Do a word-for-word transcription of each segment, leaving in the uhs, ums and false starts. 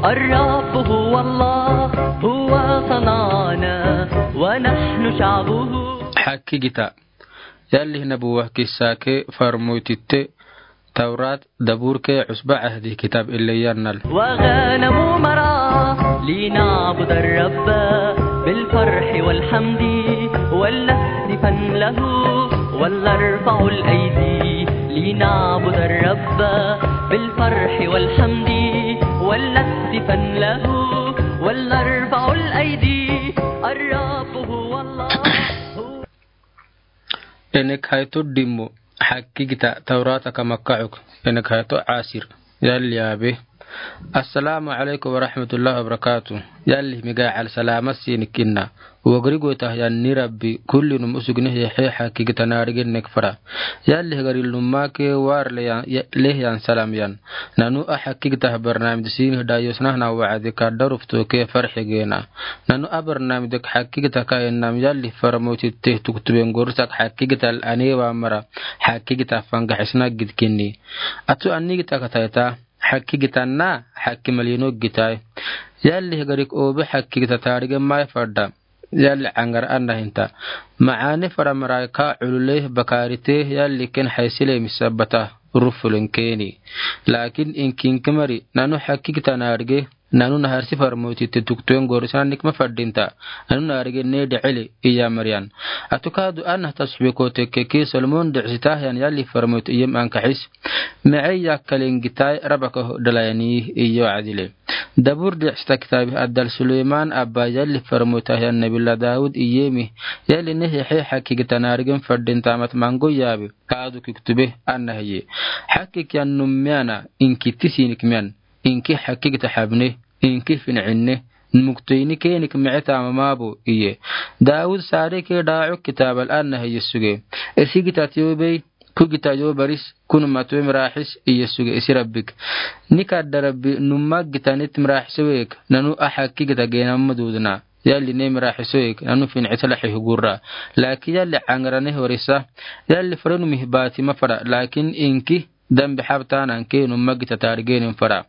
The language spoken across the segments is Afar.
الرب هو الله، هو صنعنا ونحن شعبه. Hakkigita. Yalli nabuwa kissa ke farmoytitte Tawrat, Dabur ke Usba Ahdi kitab ille yannal. وغنم مرعى لنعبد الرب بالفرح والحمد ولنهتفن له ولنرفع الأيدي لنعبد الرب بالفرح والحمد ولنهتفن له ولنرفع الأيدي الرب هو الله. Enek hayto dimmo, hakkigita Tawrata ka makkauk, enek hayto asir. Yalli abe. Assalamu alaikum warahmatullahi wabarakatuh. Yalli miga al salama sinik inna. Wagri goytah yan ni Rabbi, kullinum usugni hehe hakkigita naarigen nek fara. Yalli hagarilnumma ke war leyan, ya-, lehyan salam yan. Nanu a hakkigita barnamij sini dayosnahna wa'adi ka darufto ke farxi gena. Nanu a barnamij dek hakkigita ka innam yalli farmoytitte tuktuben gorsak hakkigital ane wa mara hakkigita fanga xisna gidkinni. Atu annigita katayta hakkigita na hakki malino gitai. Yalli hagarik obe hakkigita taarigen mai fadda. Yalli angar anna hinta. Ma'ane fara mara ka ulule bakarite yalli ken haysile misabata rufulen keni. Lakin inki inki mari nanu hakkigita naarige, nanu naharsi farmoytitte tuktuen gorisana nikma fadinta. Nanu naarige ne de'ele iya mariyan. Atu kadu anna tasxube kote keke Solomon de'sitah yan yalli farmoyt iyem ankaxis. Me'e yakkalen gitai rabaka dalayani iyo adile. Dabur de'sita kitabi addal Suleyman abba yalli farmoytah yan Nabila Daud iyemi. Yalli ne hehe hakkigita naarigen fadinta mat mango yabe. Kadu kiktube anna heye. Hakkik yan num miana inki tisinik mian. Inki hakkigita habne. Inki fin'inne. Muktoyni kenik me'e tamamabo iye. Daud sare ke da'uk kitabal anna heye suge. Esigita tiyobey. Kugita yobaris, kunu matwe miraxis, iye suge isi Rabbik. Nikadda Rabbi, numa gita nit miraxis week, nanu a hakkigita geenamma dudna. Yalli ne miraxis week, nanu fin'itala xihugurra. Lakin yalli angrane horisa, yalli farenumih bati mafara, lakin inki dambi xabtanan ke numa gita taarigenin fara.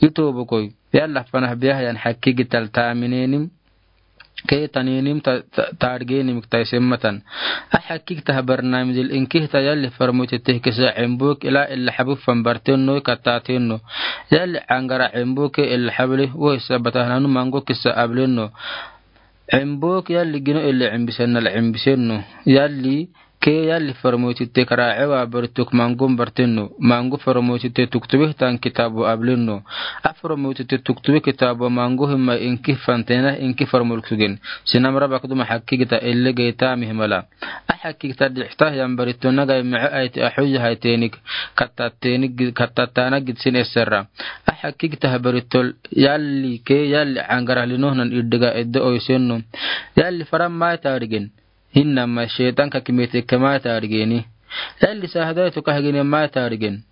Itobokoy, yalla fanah biyahayan hakkigital taaminenim, Kee taniinim ta, ta, taargenim kitaisemmatan. A xakkik tah barnaamijil inkihta yalli farmoyte teh kisa cembuk ila illa xabu fanbartenno kattatenno. Yalli cangara cembuk ke illa xabli wohi sabatah nanu mango kisa ablenno. Cembuk yalli gino illa cembisennal cembisenno. Yalli Kee yalli farmoytitte karaace waa barituk mangon bartenno. Mango farmoytitte tuktubihtan kitaabo ablenno. A farmoytitte tuktube kitaabo mango himma inkih fantenah inkih farmoluk sugen. Sinam rabak duma xakkigita elle geytaamih mala. A xakkigita dixtah yan baritto nagai mice ayti axoyyahay teenik kattattana gidsin esserra. A xakkigitah barittol yalli kee yalli cangarah linohnan iddiga edde oysenno. Yalli faran maay taarigen. Hinnamma sheyxan kakimete ke maay taarigeni. Yalli sahadaytu kahgine maay taarigen.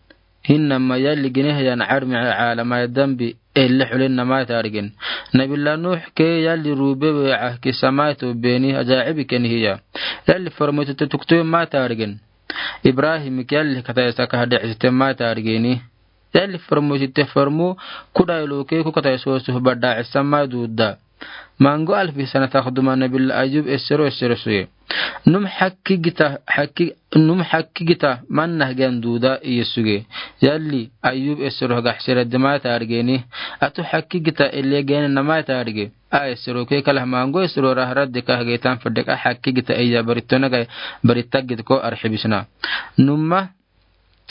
Hinnamma yalli gineh yan carmice caalamay dambi elle xulenna maay taarigen. Nabila Nuux kee yalli ruube weeca kisa maay tobbeeni ajaacibi kenihiya. Yalli farmoytitte tuktube maay taarigen. Ibrahimik yalli kataysa kaha decisite maay taarigeni. Yalli farmoytitte farmo kudaylo kee ku katayso suhba daacisan maay duudda. Mango alfi sana takduma nabila Ayub essero essero suye. Num xakkigita xakki num xakkigita mannah gen duuda iye suge. Yalli Ayub essero gaxsera dimaay taarigeni. Atu xakkigita ele gene namaay taarige. A essero ke kalah mango essero rahradde kahgeytan fadek a xakkigita iya baritto nagai baritta gidko arxibisna. Numma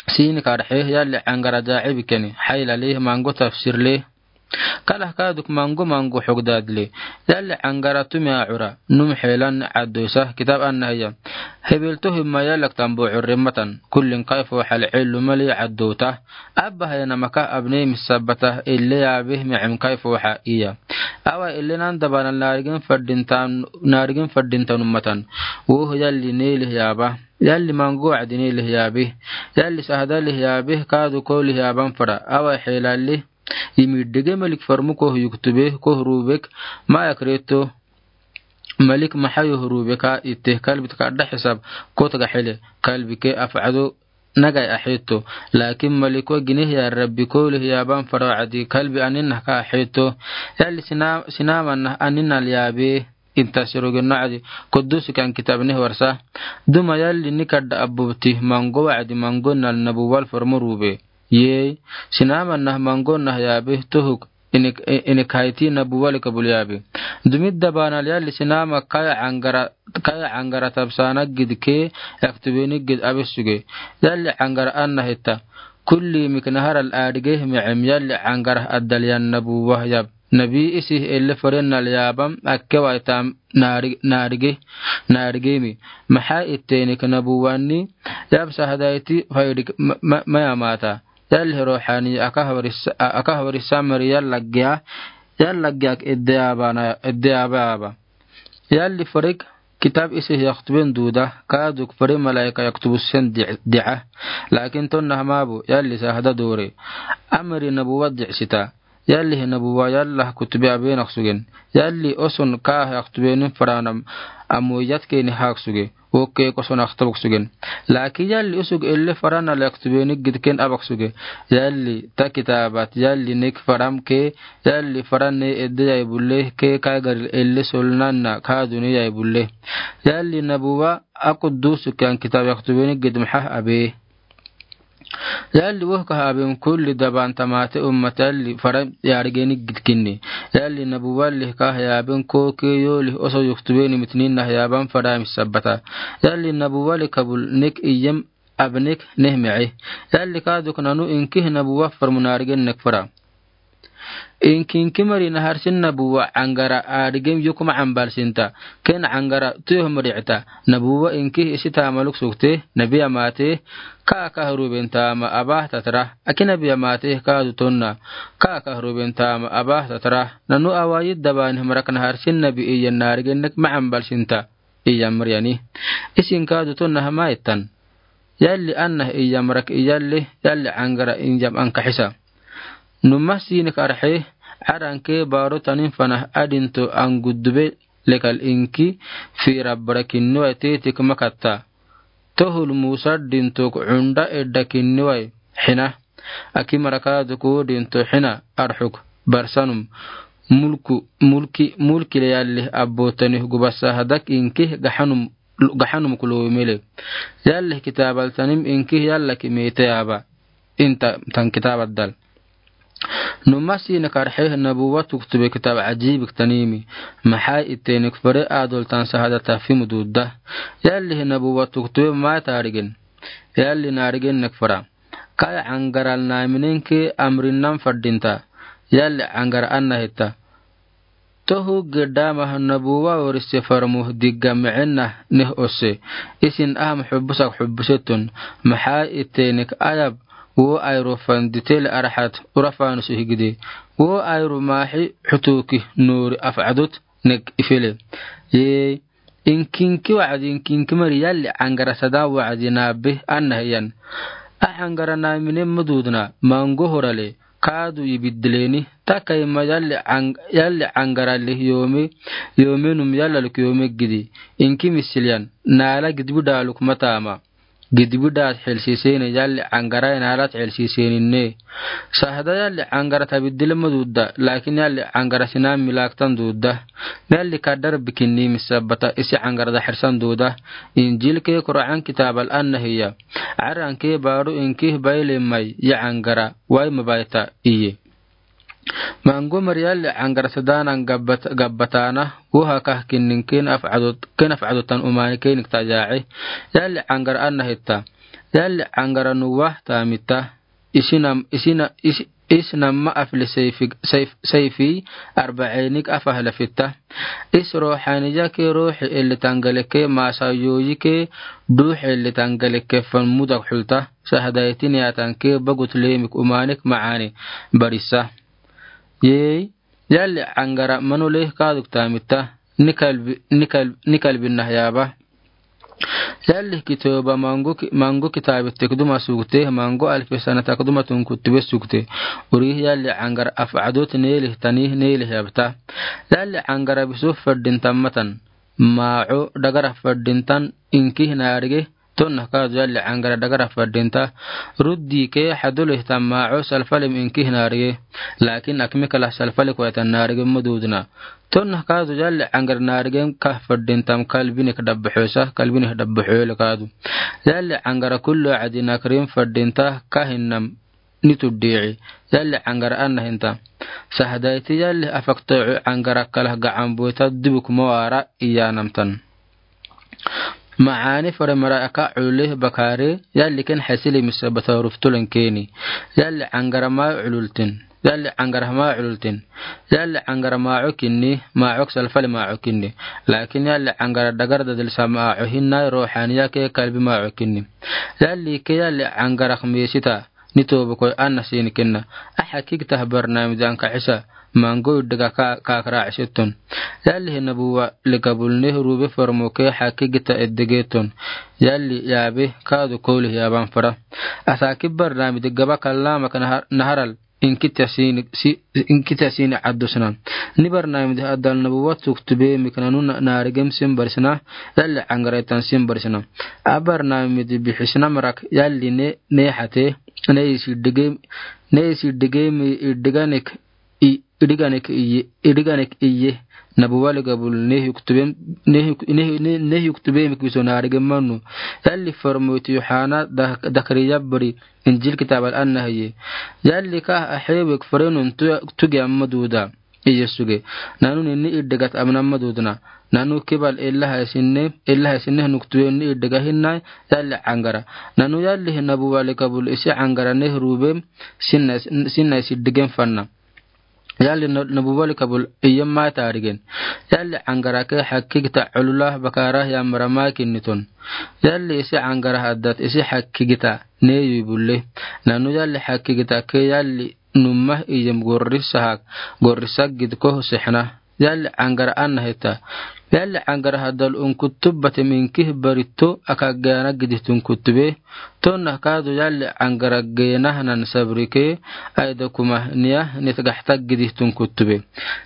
Siini karxe yalli cangara jaacibi keni xaylali mango tafsirle. Kalah kaaduk mango mango xogdadle. Yalli cangara tumi acura num xeelan caddoysa kitaab annahiya. Hebelto himma yallak tambo curremmatan kullin kayfo xal cellu mali caddowta. Abba hayana maka abney misabata elle yaabih micem kayfo xa iya. Awa ellenan dabanal naarigen fadinta naarigen fadinta nummatan. Woh yalli neelih yaaba. Yalli mango wacdinee lih yaabih. Yalli sahda lih yaabih kaadu ko lih yaaban fara. Awa xeelalli. Yimidige malik farmu koh yuktube koh ruubek. Maaya kireto. Malik maxa yoh ruubeka itte kalbit kadda xisab. Kotga xile kalbike afcado. nagai aheto. Laakin malik wa gineh ya Rabbi, koolih yaaban faro wa'adi kalbi aninah ka aheto. Yalli sina-, sinama nah aninal yaabe. Inta siroge no wa'adi kudus kan kitab nih warsa. Duma yalli nika da abubti mango wa'adi mango nal nabuwal formuru be. Yee, sinama nah mango nah yaabe tohuk. Inik, inik haiti nabuwal kabul yaabe. Dumidda banal yalli sinama kaya angara, kaya angara tabsana gid ke, yaktubeni gid abe suge. Yalli angara anna hetta. Kulli mik naharal adige me'em yalli angara addal yan nabuwa yab. Nabi isi elle forenal yabam akke waitam nari-, narige, narigemi. Maha itteni ka nabuwani yab sahadaiti faidik ma-, ma-, maya mata. Yalli ruhani aka hawarisa, aka hawarisa mari yalla giya, yalla giya edde abana, edde aba aba. Yalli forik kitab isi yaktuben duda, kaduk fori malaika yaktubusen di-, di'a. Laakin tonna hamabu, yalli sahada dore. Amri nabuwa di'sita. Yalli hi nabuwa yalla kutube abenak sugen. Yalli oson ka yaktubenin faranam amu yatkeni hak suge. Oke koson aktabuk sugen. Laakin yalli usug elle faranal yaktubeni gidken abak suge. Yalli ta kitabat, yalli nik faram ke, yalli faran ne edde yai bulle ke, kaigaril elle solnanna ka duni yai bulle. Yalli nabuwa akudusuk yan kitab yaktubeni gid maha abe. Yalli woh kaha aben kulli daban tamate ummat yalli fara yarigeni gidkinni. Yalli nabuwalli kaha yaben koke yolih oso yuktubeni mitnin nah yaban fara misabbata. Yalli nabuwalli kabul nek iyem abnek neh me'e. Yalli kaduk nanu inkih nabuwa farmu narigen nek fara. Inki inki mari naharsin nabuwa angara adigem yukuma ambalsinta. Ken angara tuyoh mari'ta. Nabuwa inki isi tamaluk sukte, nabi amate, ka kahruben tama abah tatra. Aki nabi amate ka dutonna, ka kahruben tama abah tatra. Nanu awayid daban hamarak naharsin nabi iyan narigen nek ma ambalsinta. Iyam mariyani. Isin ka dutonna hama ittan. Yalli annah iyam rak iyalli, yalli angara iyam ankahisa. Numa sinik arxe, aranke baro tanin fanah adinto anguddube lekal inki, fi rabbara kinniwai tetik makatta. Tohul Musa dintok unda edda kinniwai hina. Aki maraka duku dinto hina arxuk barsanum. Mulku, mulki, mulki le yalli abbotanih gubasa hadak inki gahanum gahanum kulo mele. Yalli kitaabal tanim inki yalla ki mete aba. Inta tan kitaabal dal. Numa sinik arxe nabuwa tuktube kitaab ajibik tanimi. Maha itenik fere adol tan sahada tafimu dudda. Yalli nabuwa tuktube ma tarigen. Yalli narigen nek fara. Kaya angaral naminenke amrinan fadinta. Yalli angara anna hetta. Tohu gedama nabuwa orise farmu digga me'enna neh ose. Isin aham xubusak xubusetun. Maha itenik ayab wo ayru fanditele arahat urafanus ihgide. Wo ayru mahi xutuki nuri af'adut nek ifele. Yee. Inkinki wa'adi inkinki mari yalli angara sada wa'adi nabi anna hiyan. Ah angara namine mududna mango horale kadu ibiddileni taka ima yalli ang-, yalli angara lih yomi, yomi num yalla luk yomi gidi. Inki misiliyan nala gidbi daluk matama. Gidbi dat xelsisene yalli angara inalat xelsiseninne. Sahda yalli angara tabiddile mududda, laakin yalli angara sinan milaktan dudda. Yalli kadar bikinni misabbata isi angara daxirsan duda. Injil ke Qur'an kitaabal anna hiya. Aran ke baru inki baile mai ya angara wai mabaita iye. Mango mari yalli angara sadanan gabbat-, gabbatana, wo hakah kinnin ken af'adot, ken af'adotan umani kenik taja'i. Yalli angara anna hitta. Yalli angara nuwa tamita. Isinam, isina, is-, isinamma afli seyfi, seyf-, seyfi arba'enik afah lafitta. Is ruhaniya ke ruhi elli tangaleke masa yoyi ke duhi elli tangaleke fan mudak xulta. Sahadaytin yatan ke bagut lemik umanik ma'ani barisa. Yee, yalli angara manu leh kaduk tamita. Nikal bi-, nikal, nikal binnah yaba. Yalli kitoba mangu ki-, mangu kitabi tekduma sukte, mangu alfi sana takduma tun kutube sukte. Uri yalli angara af'adot nelih tani nelih yabta. Yalli angara bisu fadin tamatan. Ma'u dagara fadin tan inki narige Tonna kaadu yalle aŋgara dagara fadinta. Ruddi ke hadule ta maɔ salfalem inki naarige. Lakin akmi kala salfale koyata naarige madudna. Tonna kaadu yalle aŋgara naarige ka fadintam kalbine ka dabba xosa, kalbine ka dabba xole kaadu. Yalle aŋgara kullu adi nakrim fadinta ka hinnam ni tuddiici. Yalle aŋgara anna hinta. Sahdayti yalle afaktocu aŋgara kala gacan boyta dubuk mawara iyanamtan. Maani fore mara aka culule bakare, yalle ken xesili misabata ruftulen keni. Yalle aŋgara ma culultin. Yalle aŋgara ma culultin. Yalle aŋgara maco kinni, maco salfale maco kinni. Lakin yalle aŋgara dagar dadil sa maco hinna ruuxaniya ke kalbi maco kinni. Yalle ke yalle aŋgara kmisita. Ni tobo koy anna sini kinna. A hakigta barnamij anka xisa. Mango iddiga ka, ka kara xisitun. Yalle nabuwa likabul ne rube formo ke hakigta iddigetun. Yalle yabe kaadu koli yaban fara. Asaki barnamij gaba kallama ka nahar, naharal. Inkita sini, si, inkita sini adusna. Ni barnamij adal nabuwa tuktube miknanu na, naarigem sin barisna. Yalle aŋgara itan sin barisna. A barnamij bixisna marak yalle ne, ne hate. Ne isi dige, ne isi dige mi idiganek, i, idiganek iye, idiganek iye. Nabuwa likabul ne yuktube, ne yuk, ne, ne, ne yuktube mi kiso naarige manu. Yalle formo ti Yohana da, dakari yabri. Injil kitabal anna hiye. Yalle ka a xewek forenun tu, tuge amma duda. Iye suge. Nanu ninni iddigat amna madudna. Nanu kibal ella haysinne, ella haysinne nuktube ni iddiga hinna yalle aŋgara. Nanu yalle nabuwa likabul isi aŋgara ne rube sinna, sinna isi digen fanna. Yalle na, nabuwa likabul iye ma tarigen. Yalle aŋgara ke hakigta culula bakara yamra ma kinnitun. Yalle isi aŋgara haddat isi hakigta ne yubulle. Nanu yalle hakigta ke yalle Numma iyem gorrisa hak, gorrisa gidko sixna. Yalle aŋgara anna hita. Yalle aŋgara hadal unkutub batem inkih barito aka gena gidihtu unkutube. Tonna kaadu yalle aŋgara gena hanan sabrike, aida kuma niya nitgaxta gidihtu unkutube.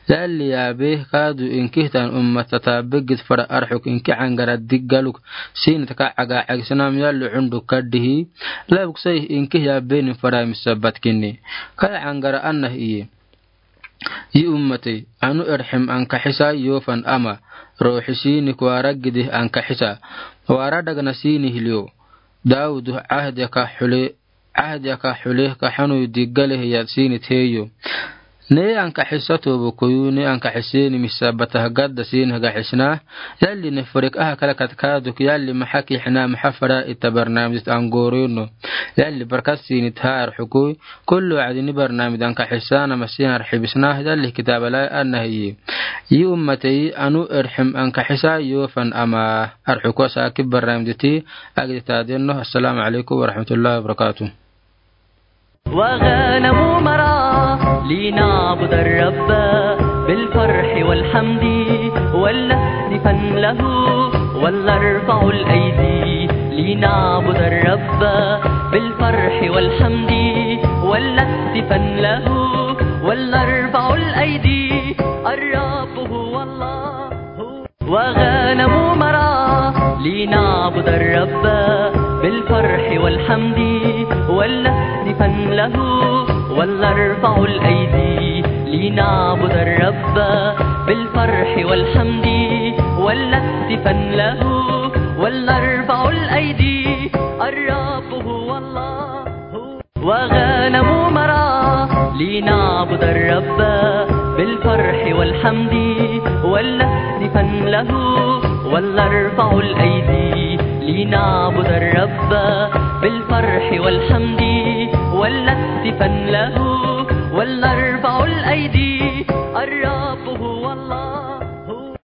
Yalle yabe kaadu inkihtan umma tatabe gid fara arxuk inki aŋgara diggaluk. Sinit ka aga agisnam yalle unduk kaddihi. Labuk sai inkih yabenin fara misabat kinni. Kai aŋgara anna iye. Yi ummatey, anu erxim ankaxisa yoofan ama, ruuxi siini kuwara gidih ankaxisa. Wara dagna siini hiliyo. Daawudu cahdiya ka xule, cahdiya ka xule ka xanu diggale hiya siini teyo. Ne ankaxisa tobo koyu, ne ankaxiseni misabatah gadda siini hagaxisna. Yalle ne forek aha kala kat kaaduk yalle maxa kixina maxa fara ita barnamijit angoreno. Yalle barkat siini taha arxukuy. Kullu wacdi ni barnamij ankaxisana masiin arxibisna yalle kitabalai anna hiyi. Yi ummatey anu erxim ankaxisa yoofan ama arxuku saaki barnamijiti agdi taadeno. Assalamu alaykum warahmatullahi wabarakatuh. وغنم مرعى لنعبد الرب بالفرح والحمد ولنهتفن له ولنرفع الأيدي لنعبد الرب بالفرح والحمد ولنهتفن له ولنرفع الأيدي الرب هو الله. وغنم مرعى لنعبد الرب بالفرح والحمد ولنهتفن له ولنرفع الأيدي لنعبد الرب بالفرح والحمد ولنهتفن له ولنرفع الأيدي الرب هو الله. وغنم مرعى لنعبد الرب بالفرح والحمد ولنهتفن له ولنرفع الأيدي لنعبد الرب بالفرح والحمد